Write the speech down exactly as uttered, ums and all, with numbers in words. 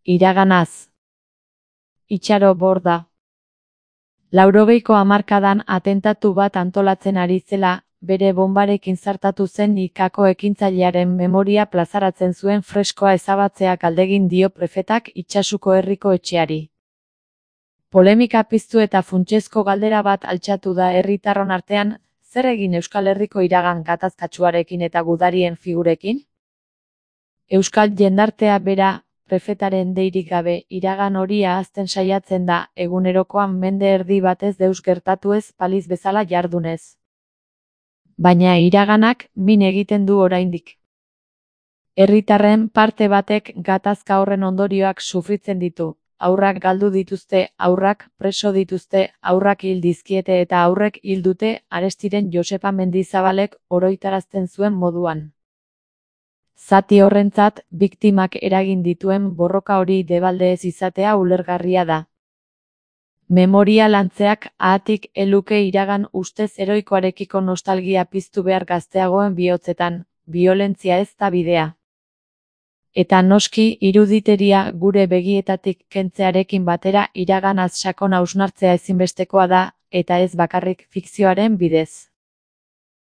Iraganaz. Itxaro Borda. Laurogeiko hamarkadan atentatu bat antolatzen ari zela, bere bonbarekin zartatu zen ikako ekintzailearen memoria plazaratzen zuen freskoa ezabatzea galdegin dio prefetak Itsasuko herriko etxeari. Polemika piztu eta funtsezko galdera bat altxatu da herritarron artean, zer egin Euskal Herriko iragan gatazkatsuarekin eta gudarien figurekin? Euskal jendartea bera, prefetaren deirik gabe, iragan hori ahazten saiatzen da, egunerokoan mende erdi batez deus gertatu ez paliz bezala jardunez. Baina iraganak min egiten du oraindik. Herritarren parte batek gatazka horren ondorioak sufritzen ditu. Haurrak galdu dituzte, haurrak preso dituzte, haurrak hil dizkiete eta haurrek hil dute Arestiren Josepa Mendizabalek oroitarazten zuen moduan. Zati horrentzat, biktimak eragin dituen borroka hori debalde ez izatea ulergarria da. Memoria lantzeak ahatik eluke iragan ustez heroikoarekiko nostalgia piztu behar gazteagoen bihotzetan, biolentzia ez da bidea. Eta noski iruditeria gure begietatik kentzearekin batera iraganaz sakon hausnartzea ezinbestekoa da, eta ez bakarrik fikzioaren bidez.